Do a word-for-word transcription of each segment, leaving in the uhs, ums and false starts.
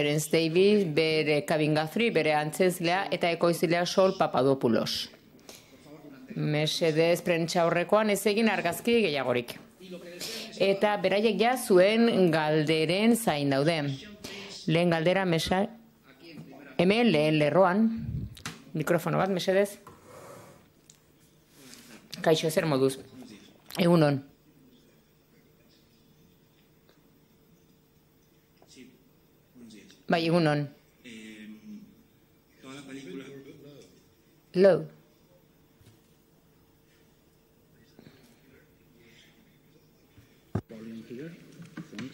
Terence Davis, bere Kevin Guthrie, bere antzezlea, eta ekoizlea Sol Papadopoulos. Mesedez prentsa aurrekoan ez egin argazki gehiagorik. Eta beraiek ja zuen galderen zain daude. Lehen galdera, mesa... Hemen lehen lerroan. Mikrofono bat, mesedez. Kaixo, zer moduz. Egunon. Bai, egunon. Low.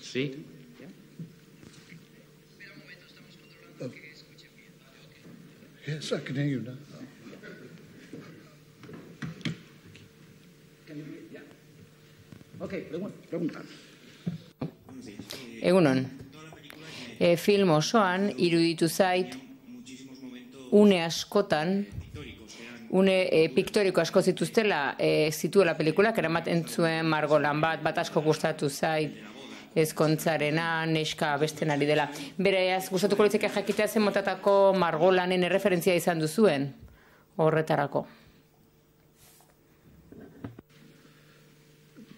Sí. Oh. Yes, I can hear you now. Okay, pregunta. Egunon. E, film osoan iruditu zait une askotan une e, piktoriko asko zituztela e, zituela pelikulak eramaten zuen margolan bat, bat asko gustatu zait ezkontzarena, neska besten ari dela. Beraz, gustatuko litzake jakitea zen motatako margolanen erreferentzia izan duzuen horretarako.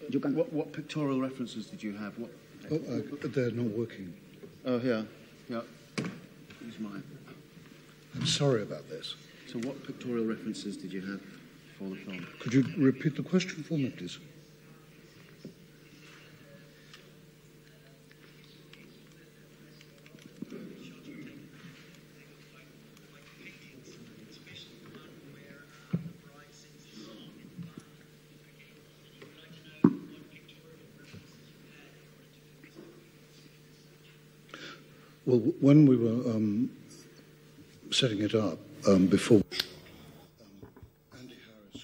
You can, what, what pictorial references did you have? What? Oh, uh, they're not working. Oh, here. Yeah. Use mine. I'm sorry about this. So what pictorial references did you have for the film? Could you repeat the question for me, please? Well, when we were um, setting it up um, before, um, Andy Harris.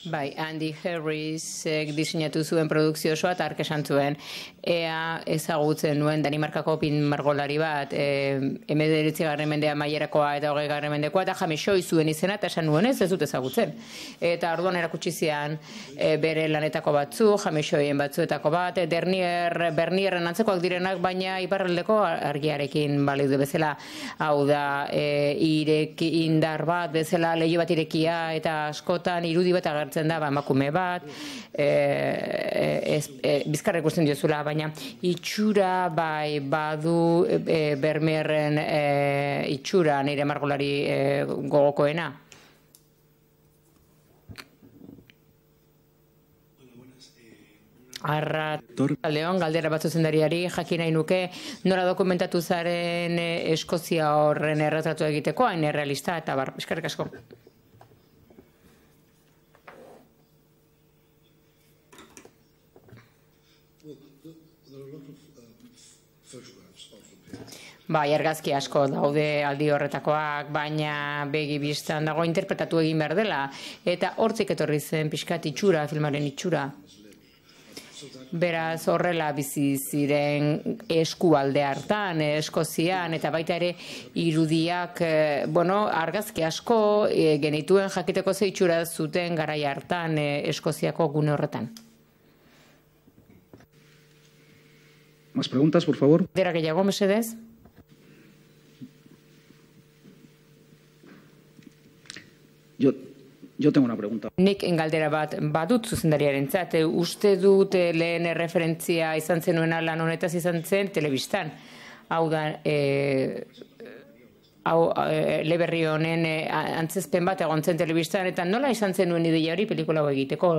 Bai, Andy Harris eh, diseinatu zuen produkzio osoa eta hark esan zuen. Ea ezagutzen nuen Danimarkako pin margolari bat, eh, hemeretzigarren mendea maierakoa eta hogeigarren mendekoa, eta Jamesoi zuen izena, eta esan nuen ez, ez dut ezagutzen. Eta orduan erakutsi zian eh, bere lanetako batzu, Jamesoien batzuetako bat, Dernier, Bernierren antzekoak direnak, baina iparraldeko argiarekin baleude bezala, hau da, eh, irek indar bat bezala, leiho bat irekia, eta askotan irudi bat agertzen da, ba, emakume bat, eh, ez, eh, bizkarra ikusten diozula, baina itxura bai badu e, Bermierren e, itxura nire margolari e, gogokoena. Arra Leon, galdera bat zuzendariari jakin nahi nuke nola dokumentatu zaren e, Eskozia horren erretratu egiteko, hain errealista eta bar, eskerrik asko. Bai, argazki asko daude aldi horretakoak, baina begi bistan dago interpretatu egin behar dela. Eta hortzik etorri zen pixkat itxura, filmaren itxura. Beraz horrela bizi ziren eskualde hartan, Eskozian, eta baita ere irudiak, bueno, argazki asko genituen jakiteko ze itxura zuten garai hartan Eskoziako gune horretan. Más preguntas, por favor. Dera gehiago, mesedez? Yo, yo tengo una pregunta. Nik galdera bat badut zuzendariarentzat, uste dut lehen erreferentzia izan zenuena lan honetaz izan zen telebistan. Hau da, e, hau, e, Leberri honen e, antzezpen bat egon zen telebistan, eta nola izan zenuen ideia hori pelikula egiteko,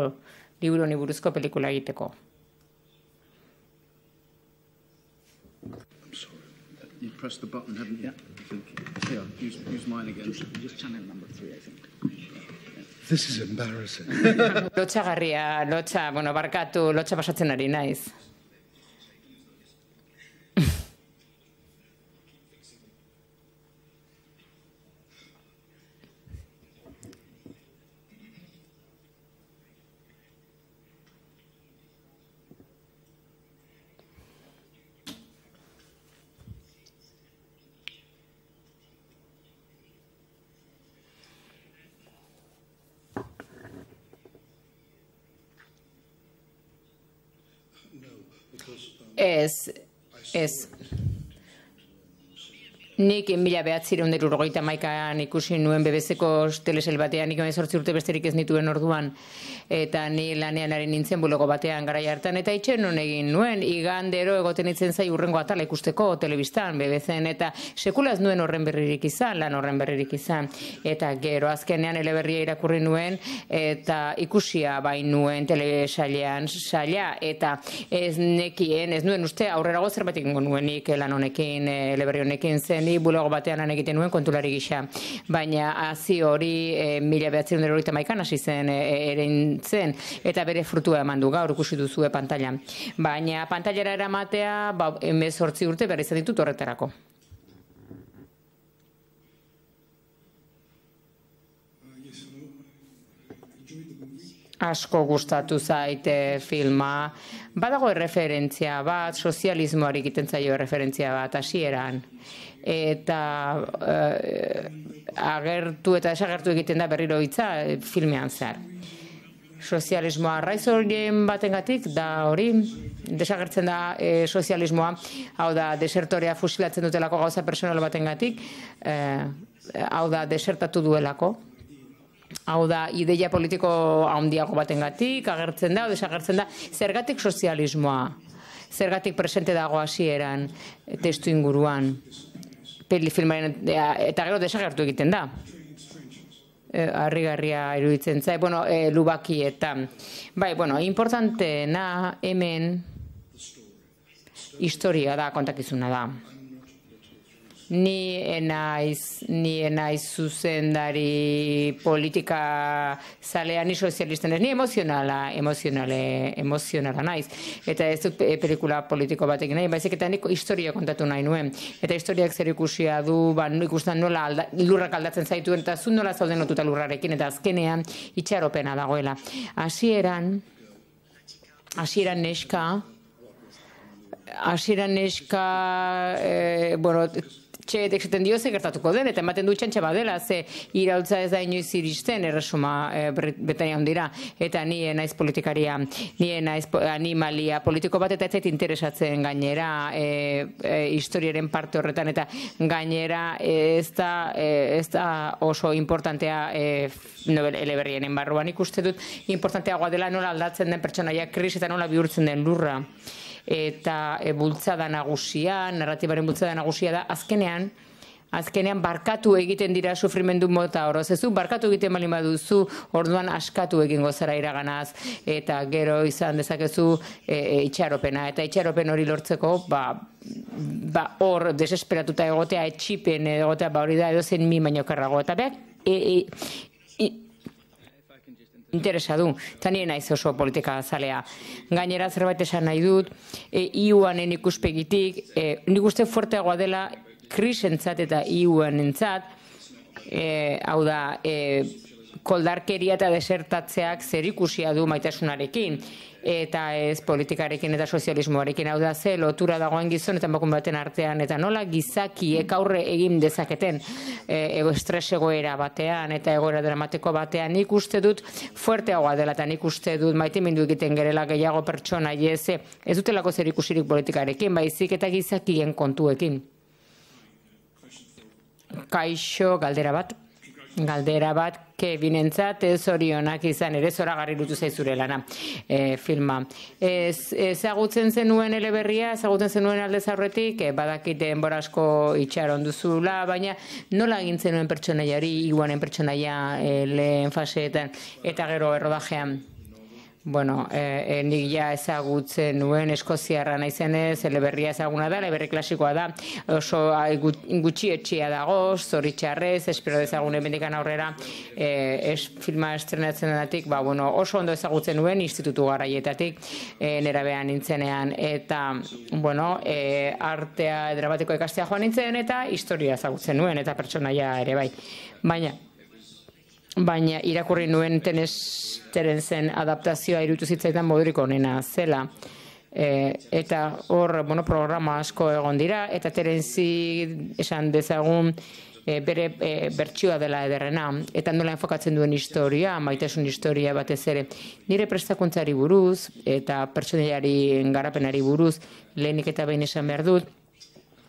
liburu honi buruzko pelikula egiteko? I'm sorry. You pressed the button, haven't you? Yeah. I think. Here, use, use mine again. Just, just channel number three, I think. This is embarrassing. Lotxa garria, lotxa, bueno, barkatu, lotxa pasatzen ari naiz. Ez, ez. Nik mila behatzireun hirurogeita hamaikaan ikusi nuen B B C-ko telesel batean, nik hemezortzi urte besterik ez nituen orduan, eta ni lanean ari nintzen bulego batean garai hartan, eta itxen non egin nuen, igandero egoten itzen zai urrengo atala ikusteko telebistan, B B C-en, eta sekulaz nuen horren berririk izan, lan horren berririk izan, eta gero azkenean eleberria irakurri nuen, eta ikusia bain nuen telesailean saila, eta ez nekien, ez nuen uste aurrerago zerbait egingo nuenik lan honekin, eleberri honekin zen, ni bulego batean lan egiten nuen kontulari gisa. Baina hazi hori e, mila behatzireun eta hirurogeita hamaikan hasi zen e, zen, eta bere frutua eman du gaur ikusi duzue pantailan. Baina pantailara eramatea ba, hemezortzi urte behar izan ditut horretarako. Asko gustatu zaite filma. Badago erreferentzia bat, sozialismoari egiten zaio erreferentzia bat, hasieran. Eta eh, agertu eta desagertu egiten da berriro hitza filmean zehar. Sozialismoa arraiz horien batengatik da hori, desagertzen da e, sozialismoa, hau da desertorea fusilatzen dutelako gauza personal batengatik, e, hau da desertatu duelako. Hau da, ideia politiko handiago batengatik agertzen da, o desagertzen da, zergatik sozialismoa, zergatik presente dago hasieran testu inguruan, filmaren, eta gero desagertu egiten da. Harrigarria iruditzen zai, bueno, e, lubakietan. Bai, bueno, importanteena hemen historia da, kontakizuna da. Ni enaiz, ni enaiz zuzendari politika zalea, ni sozialisten ez, ni emozionala, emozionale, emozionala naiz. Eta ez dut pelikula politiko batekin nahi, baizik eta nik historia kontatu nahi nuen. Eta historiak zer ikusia du, ba, ikusten nola alda, lurrak aldatzen zaituen, eta zu nola zauden lotuta lurrarekin, eta azkenean itxaropena dagoela. Hasieran, hasieran neska, hasieran neska, eh, bueno, txeetek esaten dio ze gertatuko den, eta ematen du txantxa badela, ze iraultza ez da inoiz iristen erresuma e, Britania handira, eta ni naiz politikaria, ni naiz animalia politiko bat, eta ez zait interesatzen gainera e, e, historiaren parte horretan, eta gainera ez da, e, ez da oso importantea e, nobel eleberrienen barruan ikuste dut, importanteagoa dela nola aldatzen den pertsonaia kris eta nola bihurtzen den lurra. Eta e, bultzada nagusia, narratibaren bultzada nagusia da, azkenean, azkenean barkatu egiten dira sufrimendu mota horoz. Ez du, barkatu egiten bali baduzu, orduan askatu egingo zara iraganaz, eta gero izan dezakezu e, e, itxaropena. Eta itxaropen hori lortzeko, ba, ba hor desesperatuta egotea, etxipen egotea, ba hori da edo zen mi baino karrago. Eta behar, e, e, e, interesa du, eta nire naiz oso politika zalea. Gainera zerbait esan nahi dut, e, I U-anen ikuspegitik, e, nik uste fuerteagoa dela krisentzat eta I U-an entzat, e, hau da, e, koldarkeria eta desertatzeak zer ikusia du maitasunarekin, eta ez politikarekin eta sozialismoarekin, hau da ze lotura dagoen gizon eta emakume baten artean, eta nola gizakiek aurre egin dezaketen e, estres egoera batean eta egoera dramatiko batean. Nik uste dut fuerteagoa dela, eta nik uste dut maitemindu egiten gerela gehiago pertsona ez, ez dutelako zer ikusirik politikarekin, baizik eta gizakien kontuekin. Kaixo, galdera bat. Galdera bat, Kevinentzat ez orionak izan ere zoragarri iruditu zaizure lana e, filma. Ez, ezagutzen zenuen eleberria, ezagutzen zenuen aldez aurretik, e, badakit denbora asko itxaron duzula, baina nola egin zenuen pertsonaiari, iguanen pertsonaia e, lehen faseetan eta gero errodajean? Bueno, eh, eh, nik ja ezagutzen nuen eskoziarra naizenez, eleberria ezaguna da, eleberri klasikoa da, oso gutxi etxia dago, zoritxarrez, espero dezagun emendikan aurrera, eh, es, filma estrenatzen denatik, ba, bueno, oso ondo ezagutzen nuen institutu garaietatik, eh, nerabean nintzenean, eta, bueno, eh, artea dramatiko ikastea joan nintzen, eta historia ezagutzen nuen, eta pertsonaia ere bai. Baina, baina irakurri nuen tenesteren zen adaptazioa iruditu zitzaidan modurik onena zela. E, eta hor, bueno, programa asko egon dira, eta Terenzi esan dezagun e, bere e, bertsioa dela ederrena, eta nola enfokatzen duen historia, maitasun historia batez ere. Nire prestakuntzari buruz, eta pertsonaiari garapenari buruz, lehenik eta behin esan behar dut,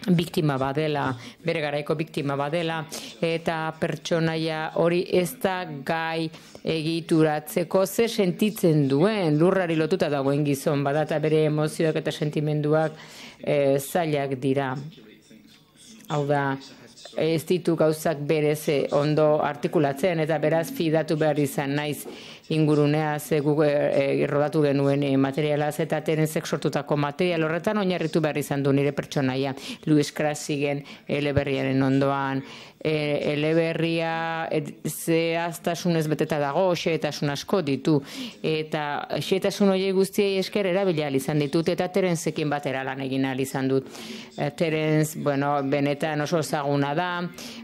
biktima badela, bere garaiko biktima badela, eta pertsonaia hori ez da gai egituratzeko ze sentitzen duen, lurrari lotuta dagoen gizon bada, eta bere emozioak eta sentimenduak e, zailak dira. Hau da, ez ditu gauzak berez ondo artikulatzen, eta beraz fidatu behar izan naiz inguruneaz e, guk e, rodatu genuen e, materialaz, eta Terenzek sortutako material horretan oinarritu behar izan du nire pertsonaia. Louis Krasigen eleberriaren ondoan, e, eleberria e, zehaztasunez beteta dago, xehetasun asko ditu, eta xehetasun horiek guztiei esker erabili ahal izan ditut, eta Terenzekin batera lan egin ahal izan dut. E, Terenz, bueno, benetan oso ezaguna da,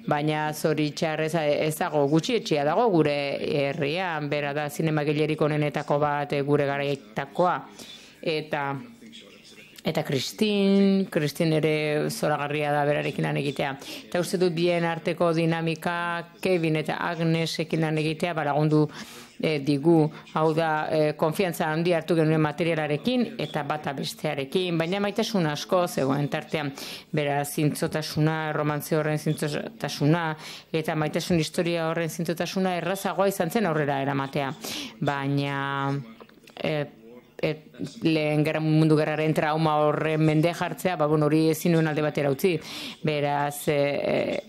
baina zoritxarrez ez dago gutxietxea dago gure herrian, bera da zinemagilerik onenetako bat gure garaietakoa. Eta eta Kristin, Kristin ere zoragarria da berarekin lan egitea. Eta uste dut bien arteko dinamika, Kevin eta Agnesekin lan egitea balagundu e, digu, hau da, e, konfiantza handi hartu genuen materialarekin eta bata bestearekin, baina maitasun asko zegoen tartean, bera zintzotasuna, romantze horren zintzotasuna, eta maitasun historia horren zintzotasuna errazagoa izan zen aurrera eramatea. Baina e, Et, lehen gerra, mundu gerraren trauma horren mende jartzea, ba, bon, hori ezin nuen alde batera utzi. Beraz, e,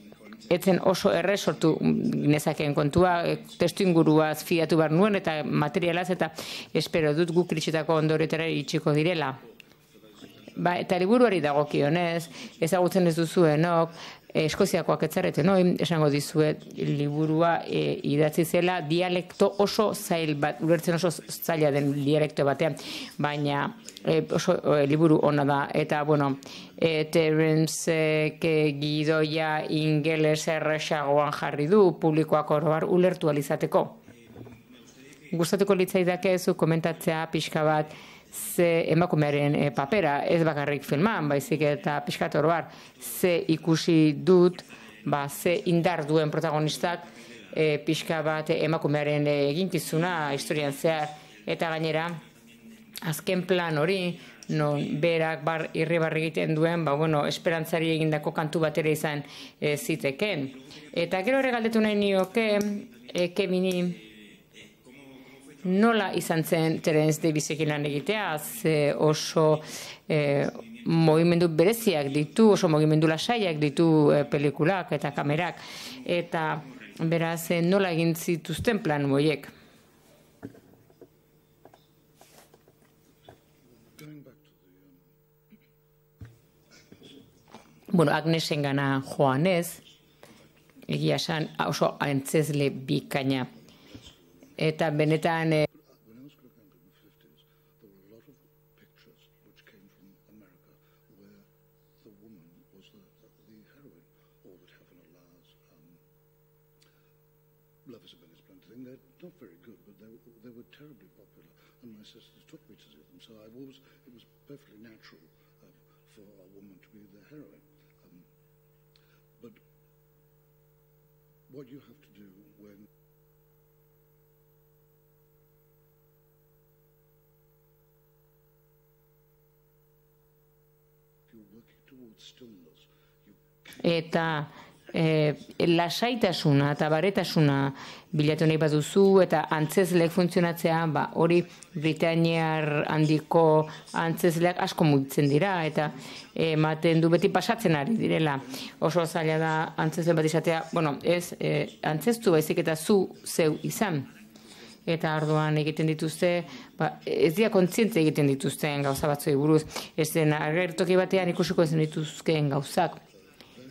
etzen oso erre sortu nezakeen kontua, e, testu inguruaz fiatu behar nuen eta materialaz, eta espero dut guk kritxetako ondoretara itxiko direla. Ba, eta liburuari dagokionez, ezagutzen ez duzuenok, Eskoziakoak etzareten, no? Esango dizuet liburua e, idatzi zela dialekto oso zail bat, ulertzen oso zaila den dialekto batean, baina e, oso e, liburu ona da, eta bueno, e, Terence e, gidoia ingeles erresagoan jarri du, publikoak oroar ulertu alizateko. Gustatuko litzaidake zu komentatzea pixka bat, ze emakumearen e, papera, ez bakarrik filman, baizik eta pixkat oroar, ze ikusi dut, ba, ze indar duen protagonistak e, pixka bat emakumearen e, eginkizuna historian zehar, eta gainera, azken plan hori, non berak bar irribarri egiten duen, ba, bueno, esperantzari egindako kantu batera izan e, ziteken. Eta gero ere galdetu nahi nioke, e, Kevini, nola izan zen Terence Davisekin lan egitea, ze oso e, mogimendu bereziak ditu, oso mogimendu lasaiak ditu e, pelikulak eta kamerak, eta beraz e, nola egin zituzten plan horiek. Bueno, Agnesen gana joanez, egia esan oso antzezle bikaina. Eta benetan... Eh, When I was growing up in the fifties, there were a lot of pictures which came from America where the woman was the, the heroine, or that Heaven allows. Um, Love is a Billy Splendid thing. They're not very good, but they, they were terribly popular, and my sisters took me to see them. So I've always, it was perfectly natural uh, for a woman to be the heroine. Um, but what you have to do when eta e, lasaitasuna eta baretasuna bilatu nahi baduzu eta antzezleek funtzionatzea, ba, hori Britainiar handiko antzezleak asko mugitzen dira eta ematen du beti pasatzen ari direla. Oso zaila da antzezle bat izatea, bueno, ez e, antzeztu baizik eta zu zeu izan. Eta arduan egiten dituzte, ba, ez dira kontziente egiten dituzten gauza batzoi buruz, ez den agertoki batean ikusiko ez dituzkeen gauzak.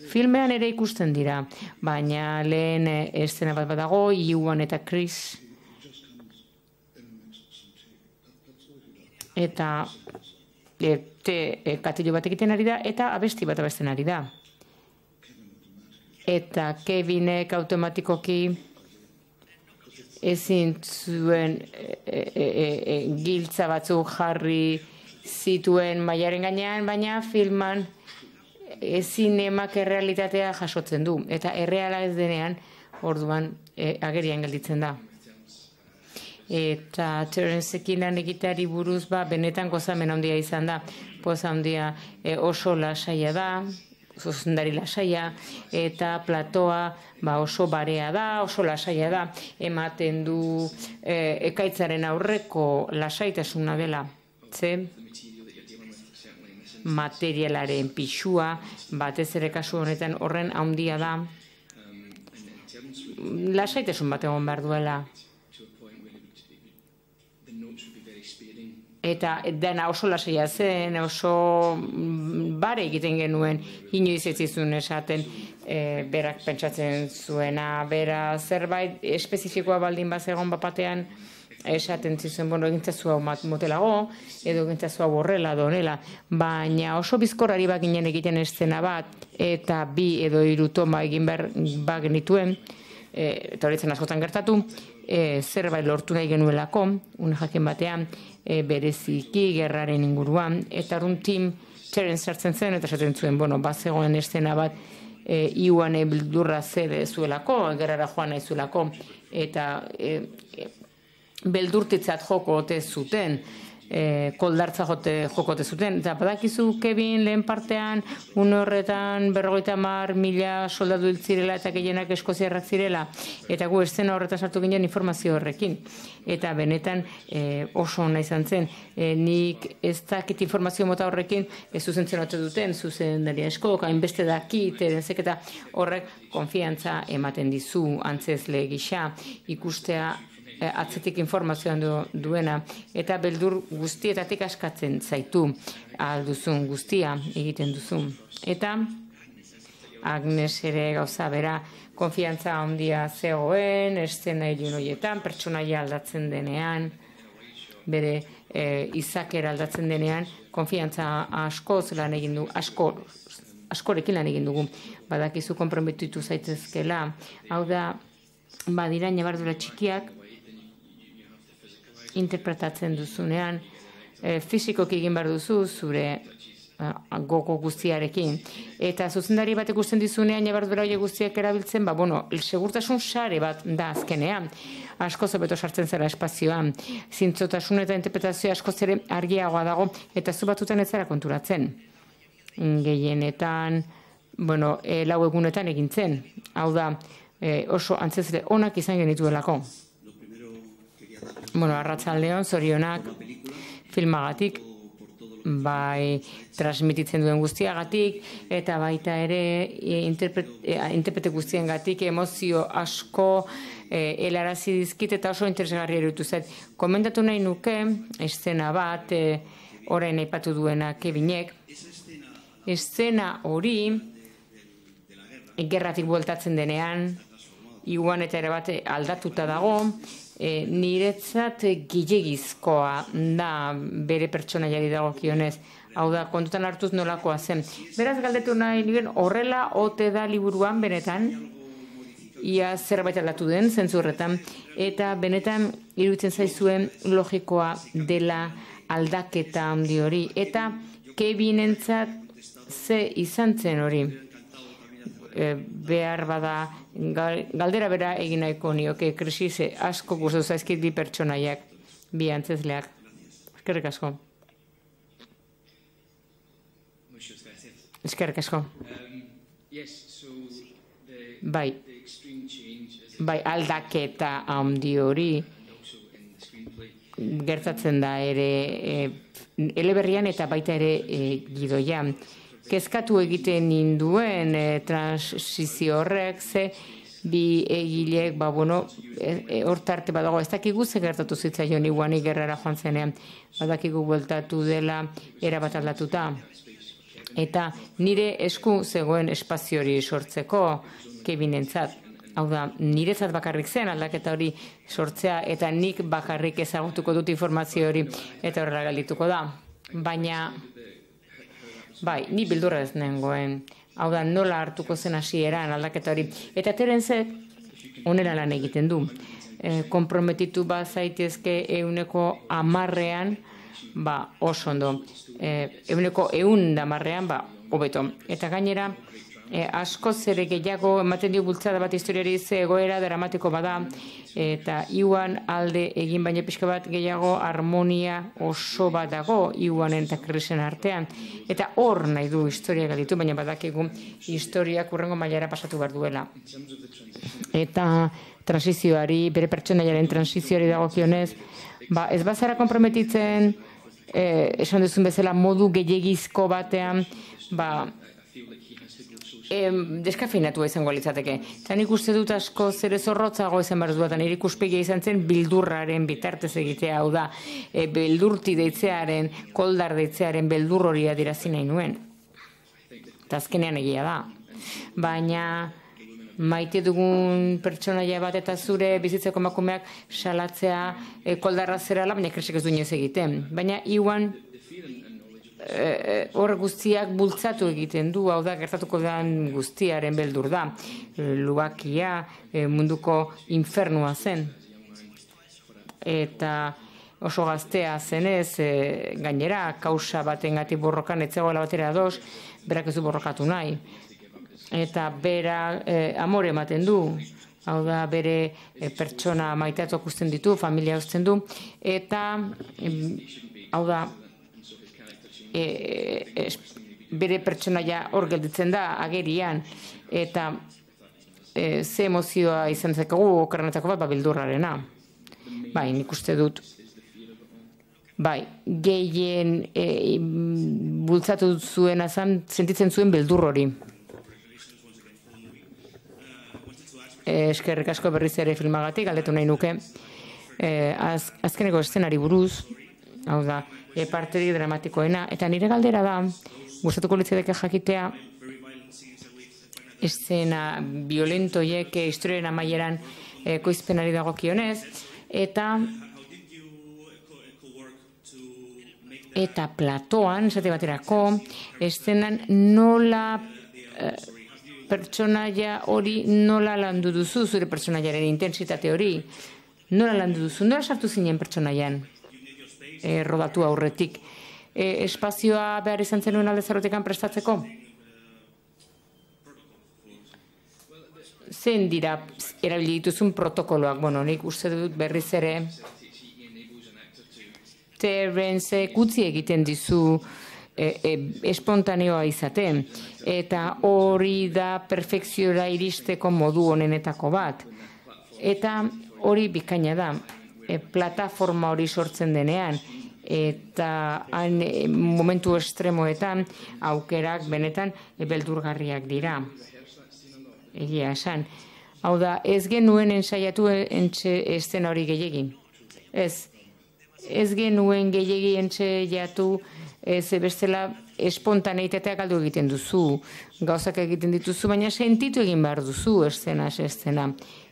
Filmean ere ikusten dira, baina lehen eszena bat badago, Ewan eta Chris, eta te, katillo bat egiten ari da, eta abesti bat abesten ari da. Eta Kevinek automatikoki ezin zuen e, e, e, giltza batzuk jarri zituen mailaren gainean, baina filman ezin emak errealitatea jasotzen du. Eta erreala ez denean, orduan e, agerian gelditzen da. Eta Terenceekin lan egiteari buruz, ba, benetan gozamen handia izan da. Poza handia e, oso lasaia da, zuzendari lasaia, eta platoa ba, oso barea da, oso lasaia da, ematen du e, ekaitzaren aurreko lasaitasuna dela, ze materialaren pixua, batez ere kasu honetan horren handia da, lasaitasun bat egon behar duela. Eta dena oso lasaia zen, oso bare egiten genuen, inoiz ez izun esaten e, berak pentsatzen zuena, bera zerbait espezifikoa baldin bazegon bapatean, esaten zizuen, bueno, egintzazu hau motelago, edo egintzazu hau horrela, donela, baina oso bizkorrari bak ginen egiten eszena bat, eta bi edo hiru toma egin behar bak genituen, e, eta horitzen askotan gertatu, e, zerbait lortu nahi genuelako, une jaken batean, e, bereziki gerraren inguruan, eta arun tim txeren sartzen zen, eta esaten zuen, bueno, bazegoen eszena bat, e, iuan bildurra zede zuelako, gerrara joan nahi zuelako, eta e, e, beldurtitzat joko ote zuten, e, koldartza jote jokote zuten. Eta badakizu, Kevin, lehen partean, un horretan berrogeita hamar mila soldadu hil zirela eta gehienak eskoziarrak zirela. Eta gu eszena horretan sartu ginen informazio horrekin. Eta benetan e, oso ona izan zen. E, nik ez dakit informazio mota horrekin ez zuzentzen ote duten, zuzen daria esko, hainbeste dakit, edenzek eta horrek konfiantza ematen dizu, antzezle gisa, ikustea atzetik informazioan du, duena, eta beldur guztietatik askatzen zaitu alduzun guztia egiten duzu. Eta Agnes ere gauza bera, konfiantza handia zegoen, eszena ilun horietan, pertsonaia aldatzen denean, bere e, izakera aldatzen denean, konfiantza askoz lan egin du, asko, askorekin lan egin dugu, badakizu konprometitu zaitezkela, hau da, badira nabardura txikiak, interpretatzen duzunean, e, fizikoki egin behar duzu zure e, gogo guztiarekin. Eta zuzendari bat ikusten dizunean, nabardura horiek guztiak erabiltzen, ba, bueno, segurtasun sare bat da azkenean. Asko zobeto sartzen zara espazioan. Zintzotasun eta interpretazioa asko zere argiagoa dago, eta zu batutan ez zara konturatzen. Gehienetan, bueno, e, lau egunetan egintzen. Hau da, e, oso antzezle onak izan genituelako. Bueno, arratsaldeon, zorionak filmagatik, bai transmititzen duen guztiagatik, eta baita ere interprete guztiengatik emozio asko e, helarazi dizkit eta oso interesgarri erutu zait. Komentatu nahi nuke, eszena bat, e, orain aipatu duena Kevinek, eszena hori gerratik bueltatzen denean, iguan eta ere bat aldatuta dago, E, niretzat gilegizkoa da bere pertsonaiari dagokionez. Hau da, kontutan hartuz nolakoa zen. Beraz galdetu nahi nigen horrela ote da liburuan benetan, ia zerbait aldatu den, zentzurretan, eta benetan iruditzen zaizuen logikoa dela aldaketa handi hori. Eta Kevinentzat ze izan zen hori. E, behar bada galdera bera egin nahiko nioke krisise asko gustatu zaizkit bi pertsonaiak, bi antzezleak. Eskerrik asko. Eskerrik asko. Bai, bai aldaketa handi hori gertatzen da ere e, eleberrian eta baita ere e, gidoian. Kezkatu egiten ninduen e, transizio horrek, ze bi egilek, ba, bueno, hortarte e, badago, ez dakigu ze gertatu zitzaion iguanik gerrara joan zenean, badakigu bueltatu dela erabat aldatuta. Eta nire esku zegoen espazio hori sortzeko Kevinentzat. Hau da, niretzat bakarrik zen aldaketa hori sortzea, eta nik bakarrik ezagutuko dut informazio hori, eta horrela galdituko da. Baina... Bai, ni bildurra ez nengoen. Hau da, nola hartuko zen hasieran aldaketa hori. Eta Terenzek onera lan egiten du. E, komprometitu ba zaitezke euneko amarrean, ba, oso ondo. E, euneko eun damarrean, ba, hobeto. Eta gainera, E, asko zere gehiago ematen dio bultzada bat historiari ze egoera dramatiko bada, eta iuan alde egin baina pixka bat gehiago harmonia oso bat dago iuanen eta krisen artean, eta hor nahi du historia galitu, baina badakigu historiak urrengo mailara pasatu behar duela. Eta transizioari, bere pertsonaiaren transizioari dagokionez, ba, ez bazara konprometitzen, eh, esan duzun bezala modu gehiagizko batean, ba, E, deskafeinatua izango litzateke. Eta nik uste dut asko zere zorrotzago izan behar duetan, nire ikuspegia izan zen bildurraren bitartez egitea, hau da, e, beldurti deitzearen, koldar deitzearen beldur hori adirazi nahi nuen. Eta azkenean egia da. Baina maite dugun pertsonaia bat eta zure bizitzeko emakumeak salatzea e, koldarra zerala, baina kresek ez du inoiz egiten. Baina iuan hor guztiak bultzatu egiten du, hau da, gertatuko den guztiaren beldur da. Lubakia munduko infernua zen. Eta oso gaztea zenez, gainera, kausa batengatik borrokan etzegoela batera ados, berak ez du borrokatu nahi. Eta bera amore ematen du, hau da, bere pertsona maiteatu ikusten ditu, familia uzten du, eta, hau da, E, e, bere pertsonaia hor gelditzen da agerian, eta e, ze emozioa izan zekagu okerrenetako bat, ba, bildurrarena. Bai, nik uste dut bai, gehien e, bultzatu zuen azan, sentitzen zuen beldur hori. E, eskerrik asko berriz ere filmagatik, galdetu nahi nuke. E, az, azkeneko eszenari buruz, hau da, e, parteri dramatikoena, eta nire galdera da, gustatuko litzateke jakitea, eszena violentoiek historiaren amaieran e, koizpenari dagokionez, eta eta platoan, esate baterako, eszenan nola e, pertsonaia hori nola landu duzu, zure pertsonaiaren intensitate hori, nola landu duzu, nola sartu zinen pertsonaian? E, rodatu aurretik. E, espazioa behar izan zenuen alde zarrotekan prestatzeko? Zein dira erabili dituzun protokoloak? Bueno, nik uste dut berriz ere Terence gutxi egiten dizu e, e, espontaneoa izaten. Eta hori da perfekziora iristeko modu honenetako bat. Eta hori bikaina da. E, plataforma hori sortzen denean, eta han, e, momentu estremoetan aukerak benetan e, beldurgarriak dira. Egia esan. Hau da, ez genuen ensaiatu entxe estena hori gehiagin. Ez, ez genuen gehiagi ensaiatu ez bestela espontaneitatea galdu egiten duzu, gauzak egiten dituzu, baina sentitu egin behar duzu estena, estena.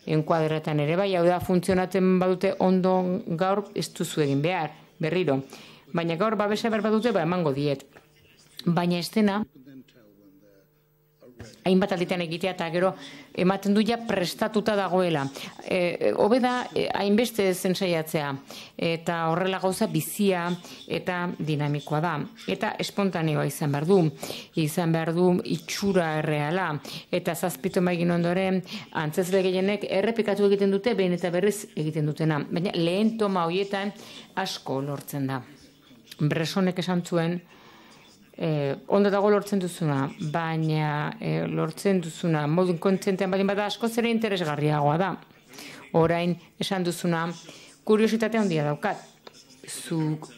Enkuadretan ere bai, hau da, funtzionatzen badute ondo gaur ez duzu egin behar, berriro. Baina gaur babesa behar badute, ba, emango diet. Baina estena, hainbat alditan egitea eta gero ematen du ja prestatuta dagoela. E, hobe da, hainbeste zentsaiatzea, eta horrela gauza bizia eta dinamikoa da. Eta espontaneoa izan behar du, izan behar du itxura erreala, eta zazpito maigin ondoren, antzezle gehienek errepikatu egiten dute, behin eta berriz egiten dutena. Baina lehen toma horietan asko lortzen da. Bresonek esan zuen, Eh, ondo dago lortzen duzuna, baina eh, lortzen duzuna modu kontzentean badin bada asko zere interesgarriagoa da. Orain esan duzuna kuriositatea handia daukat. Zuk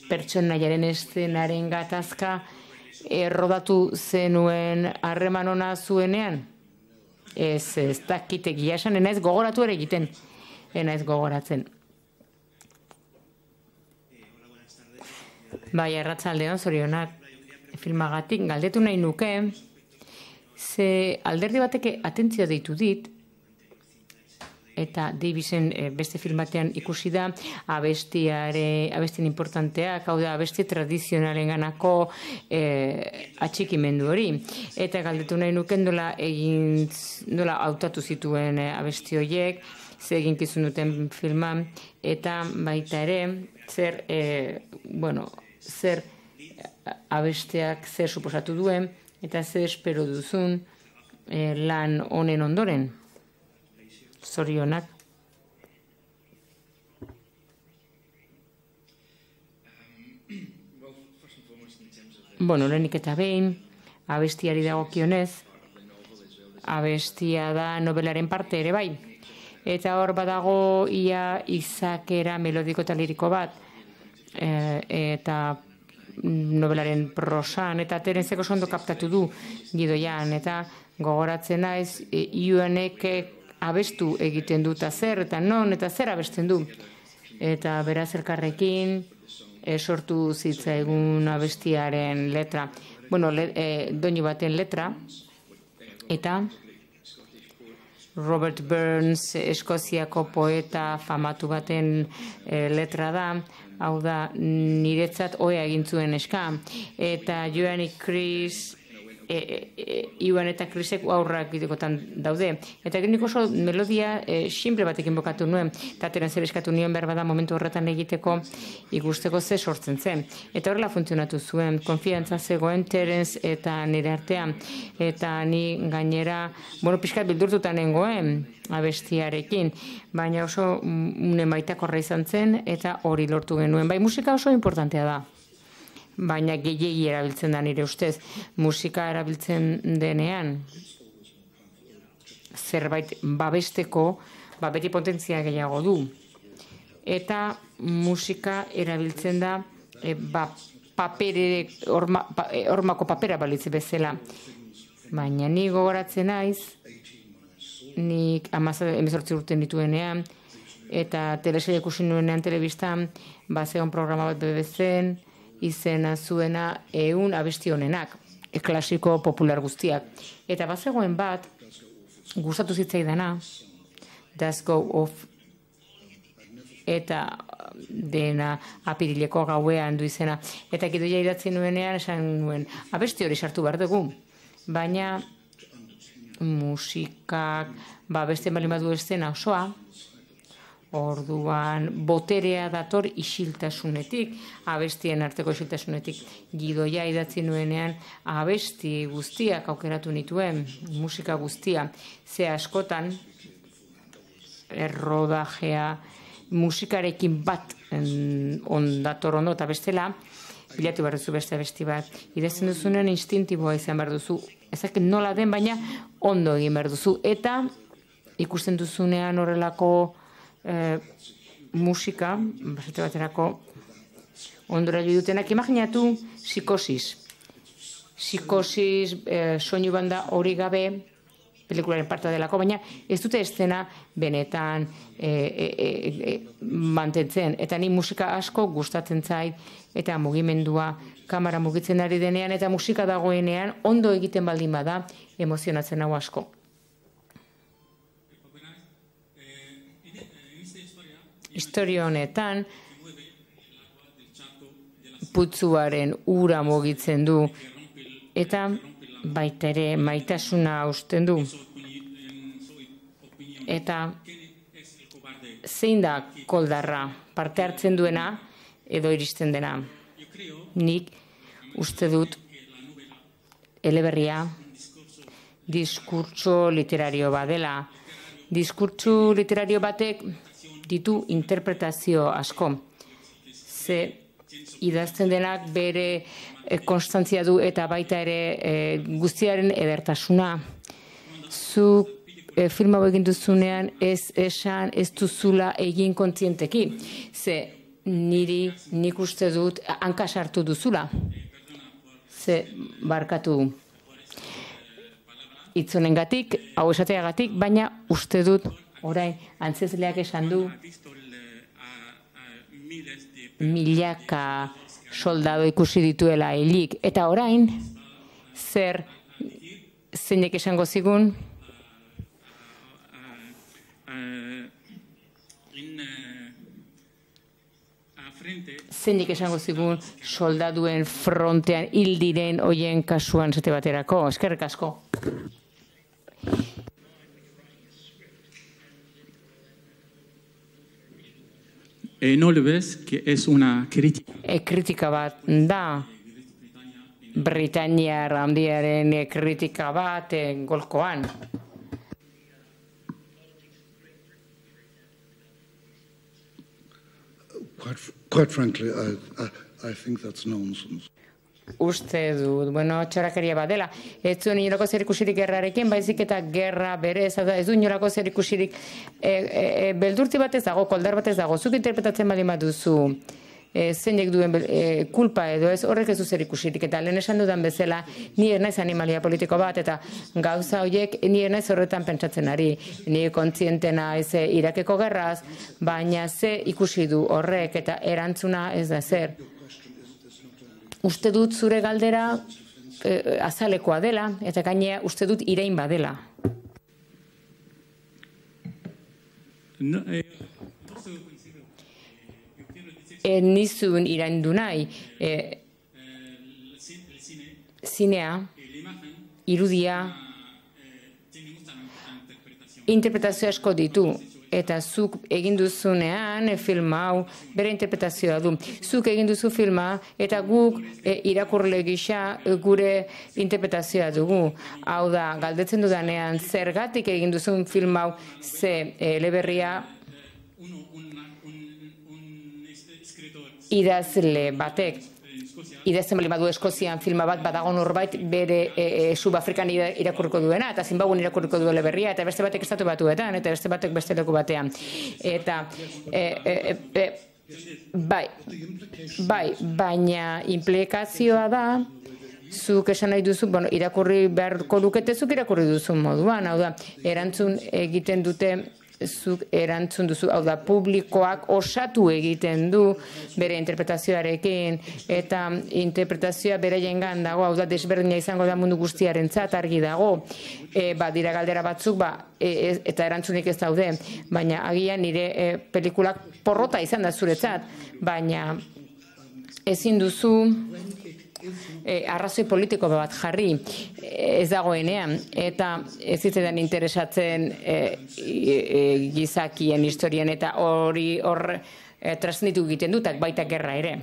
pertsonaiaren eszenaren gatazka errodatu zenuen harreman ona zuenean? Ez, ez dakit egia esan, enaiz gogoratu ere egiten, enaiz gogoratzen. Bai, arratsaldeon, zorionak filmagatik galdetu nahi nuke, ze alderdi bateke atentzio deitu dit, eta Davisen e, beste filmatean ikusi da abestiare, abestien importanteak, hau da abesti tradizionalen ganako e, atxikimendu hori. Eta galdetu nahi nuke nola egin, nola hautatu zituen e, abesti horiek, ze eginkizun duten filman, eta baita ere, zer, e, bueno, zer abesteak zer suposatu duen, eta ze espero duzun eh, lan honen ondoren. Zorionak. Bueno, lehenik eta behin, abestiari dagokionez, abestia da nobelaren parte ere bai. Eta hor badago ia izakera melodiko eta liriko bat, e, eta nobelaren prosan, eta Terenzeko ondo kaptatu du gidoian, eta gogoratzen naiz, e, Iuanek abestu egiten du, eta zer, eta non, eta zer abesten du. Eta beraz elkarrekin e, sortu zitzaigun abestiaren letra. Bueno, le, e, doinu baten letra, eta Robert Burns, Eskoziako poeta famatu baten e, letra da, hau da, niretzat oea egin zuen eska. Eta Joan Chris, e, e, Iwan eta Chrisek aurrak bidekotan daude. Eta nik oso melodia e, simple batekin bokatu nuen, eta Terenz ere eskatu nion behar bada momentu horretan egiteko ikusteko ze sortzen zen. Eta horrela funtzionatu zuen, konfiantza zegoen Terenz eta nire artean. Eta ni gainera, bueno, pixkat bildurtuta nengoen abestiarekin, baina oso une maitakorra izan zen, eta hori lortu genuen. Bai, musika oso importantea da. Baina gehiegi erabiltzen da nire ustez. Musika erabiltzen denean, zerbait babesteko, ba beti potentzia gehiago du. Eta musika erabiltzen da, e, ba, papere, orma, pa, e, ormako papera balitze bezala. Baina ni gogoratzen naiz, nik hemezortzi urte nituenean, eta telesaila ikusi nuenean telebistan, ba zegoen programa bat B B Cen, izena zuena ehun abesti honenak, klasiko popular guztiak. Eta bazegoen bat, gustatu zitzaidana, Does Go Off, eta dena apirileko gauean du izena. Eta gidoia idatzi nuenean, esan nuen, abesti hori sartu behar dugu, baina musikak, ba beste bali badu estena osoa, orduan boterea dator isiltasunetik, abestien arteko isiltasunetik. Gidoia idatzi nuenean abesti guztiak aukeratu nituen, musika guztia. Ze askotan, errodajea, musikarekin bat ondator ondo eta bestela, bilatu behar duzu beste abesti bat. Idazten duzunen instintiboa izan behar duzu. Ezak nola den, baina ondo egin behar duzu. Eta ikusten duzunean horrelako E, musika, basate baterako ondora jo dutenak, imaginatu psikosis. Psikosis, e, soinu banda hori gabe, pelikularen parte delako, baina ez dute estena benetan e, e, e, e, mantentzen. Eta ni musika asko gustatzen zait, eta mugimendua, kamera mugitzen ari denean, eta musika dagoenean, ondo egiten baldin bada, emozionatzen hau asko. Historia honetan, putzuaren ura mugitzen du, eta baita ere maitasuna hausten du. Eta zein da koldarra, parte hartzen duena edo iristen dena. Nik uste dut eleberria diskurtso literario badela. Diskurtso literario batek ditu interpretazio asko. Ze idazten denak bere e, konstantzia du eta baita ere e, guztiaren edertasuna. Zu e, film hau egin duzunean ez esan ez duzula egin kontzienteki. Ze niri nik uste dut hanka sartu duzula. Ze barkatu hitzonengatik, hau esateagatik, baina uste dut orain, antzezleak esan du, milaka soldado ikusi dituela hilik. Eta orain, zer zeinek esango zigun? Zeinek esango zigun soldaduen frontean hil diren hoien kasuan zete baterako. Eskerrik asko. Eh, ¿No le ves que es una crítica? E, kritika bat da Britainiar handiaren kritika bat golkoan. Quite, quite frankly, I, I, I think that's nonsense. Uste dut, bueno, txorakeria bat dela. Ez zuen inolako zer ikusirik gerrarekin, baizik eta gerra berez, ez du inolako zer ikusirik e, e, e, beldurti bat ez dago, koldar bat ez dago, zuk interpretatzen baldin baduzu, e, zeinek duen e, kulpa edo ez, horrek ez du zer ikusirik, eta lehen esan dudan bezala, ni ez naiz animalia politiko bat, eta gauza horiek ni ez naiz horretan pentsatzen ari, ni kontzientena ez Irakeko gerraz, baina ze ikusi du horrek, eta erantzuna ez da zer. Uste dut zure galdera eh, azalekoa dela, eta gainea uste dut irain badela. No, eh, E, nizun iraindu nahi, e, zinea, irudia, interpretazio asko ditu. Eta zuk egin duzunean e, film hau bere interpretazioa du. Zuk egin duzu filma eta guk e, irakurle gisa e, gure interpretazioa dugu. Hau da, galdetzen dudanean zergatik egin duzun film hau ze e, eleberria idazle batek. Idazten bali badu Eskozian filma bat badago norbait bere e, e, Subafrikan irakurriko duena, eta Zimbabuen irakurriko duela berria, eta beste batek estatu batuetan, eta beste batek beste leku batean. Eta, e, e, e, bai, bai, baina implikazioa da, zuk esan nahi duzu, bueno, irakurri beharko lukete zuk irakurri duzu moduan, hau da, erantzun egiten dute, zuk erantzun duzu, hau da, publikoak osatu egiten du bere interpretazioarekin, eta interpretazioa bere jengan dago, hau da, desberdina izango da mundu guztiarentzat argi dago, e, ba, dira galdera batzuk, ba, e, eta erantzunik ez daude, baina agian nire e, pelikulak porrota izan da zuretzat, baina ezin duzu E, arrazoi politiko bat jarri ez dagoenean, eta ez zitzaidan interesatzen e, e, gizakien historien eta hori hor e, transmititu egiten dutak baita gerra ere.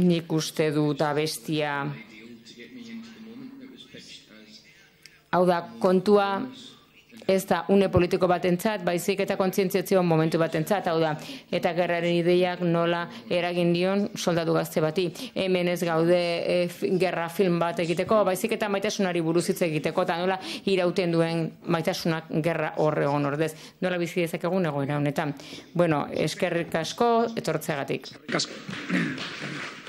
Nik uste dut abestia, hau da, kontua ez da une politiko batentzat, baizik eta kontzientziazio momentu batentzat, hau da, eta gerraren ideiak nola eragin dion soldadu gazte bati. Hemen ez gaude e, gerra film bat egiteko, baizik eta maitasunari buruz hitz egiteko, eta nola irauten duen maitasunak gerra horregon ordez. Nola bizi dezakegun egoera honetan. Bueno, eskerrik asko, etortzeagatik. Kasko.